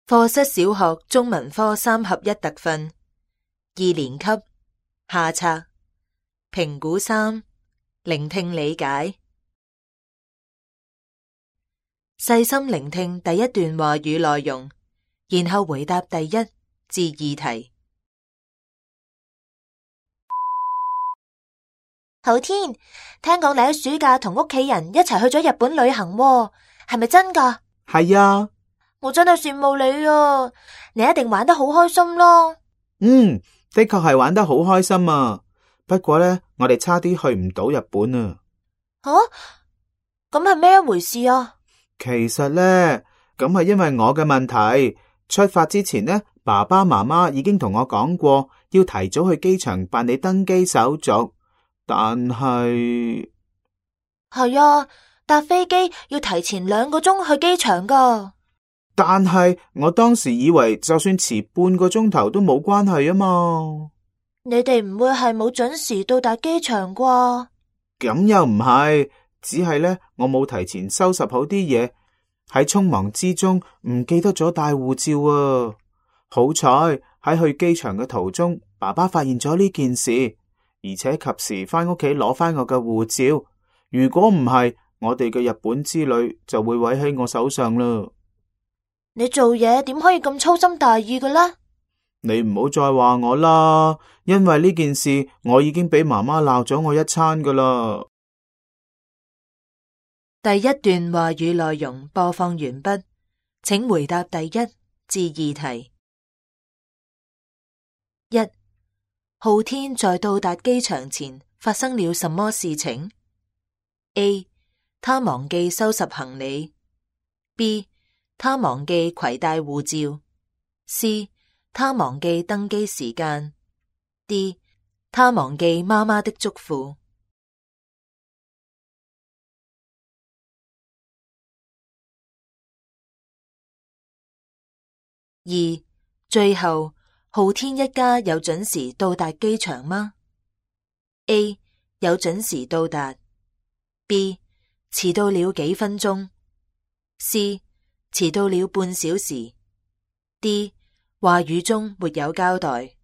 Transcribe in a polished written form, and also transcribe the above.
課室小學中文科3合1特訓2年級下冊評估3聆聽理解。細心聆聽第一段話語內容，然後回答第1至2題。浩天，聽講你喺暑假同屋企人一齊去咗日本旅行喎，係咪真㗎？係啊，我真係羨慕你啊！你一定玩得好開心咯。的確係玩得好開心啊。不過呢，我哋差啲去唔到日本啊。咁係咩一回事啊？其實呢，咁係因為我嘅問題。出發之前呢，爸爸媽媽已經同我講過，要提早去機場辦理登機手續。但係啊，搭飛機要提前2個鐘去機場㗎。但係我當時以為就算遲半個鐘頭都冇關係啊嘛。你哋唔會係冇準時到達機場啩？咁又唔係，只係呢，我冇提前收拾好啲嘢，喺匆忙之中唔記得咗帶護照啊。好彩喺去機場嘅途中，爸爸發現咗呢件事，而且及時翻屋企攞翻我嘅護照。如果唔係，我哋嘅日本之旅就會毀喺我手上啦。你做嘢點可以咁粗心大意嘅呢？你唔好再話我啦，因為呢件事我已經俾媽媽鬧咗我一餐噶啦。第一段話語內容播放完畢，請回答第1至2題。1. 浩天在到達機場前發生了什麼事情？ A. 他忘記收拾行李。 B. 他忘記攜帶護照。 C. 他忘記登機時間。 D. 他忘記媽媽的囑咐。2. 最後，浩天一家有準時到達機場嗎？ A. 有準時到達。 B. 遲到了幾分鐘。 C. 遲到了半小時。 D. 話語中沒有交代。